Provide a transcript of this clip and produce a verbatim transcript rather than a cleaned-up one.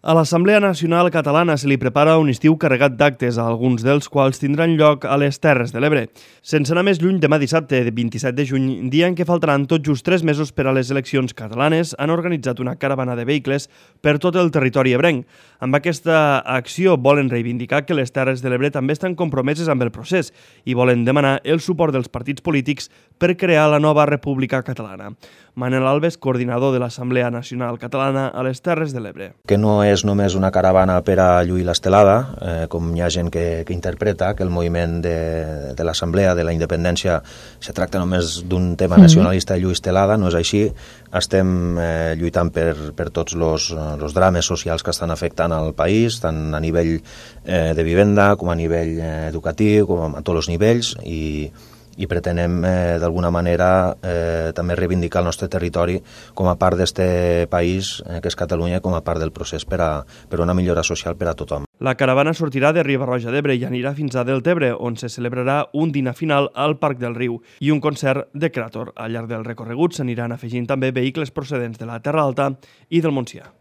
A l'Assemblea Nacional Catalana se li prepara un estiu carregat d'actes, alguns dels quals tindran lloc a les Terres de l'Ebre. Sense anar més lluny, demà dissabte, vint-i-set de juny, dia en què faltaran tot just tres mesos per a les eleccions catalanes, han organitzat una caravana de vehicles per tot el territori ebrenc. Amb aquesta acció volen reivindicar que les Terres de l'Ebre també estan compromeses amb el procés i volen demanar el suport dels partits polítics per crear la nova República Catalana. Manel Alves, coordinador de l'Assemblea Nacional Catalana a les Terres de l'Ebre. Que no és només una caravana per a lluir l'estelada, eh, com hi ha gent que, que interpreta que el moviment de, de l'Assemblea, de la independència, se tracta només d'un tema nacionalista de lluir estelada, no és així. Estem eh, lluitant per, per tots els drames socials que estan afectant al país, tant a nivell eh, de vivenda com a nivell eh, educatiu, com a tots els nivells, i i pretenem eh, d'alguna manera eh, també reivindicar el nostre territori com a part d'aquest país, eh, que és Catalunya, com a part del procés per a, per una millora social per a tothom. La caravana sortirà de Riba-roja d'Ebre i anirà fins a Deltebre, on se celebrarà un dinar final al Parc del Riu i un concert de Creator. Al llarg del recorregut s'aniran afegint també vehicles procedents de la Terra Alta i del Montsià.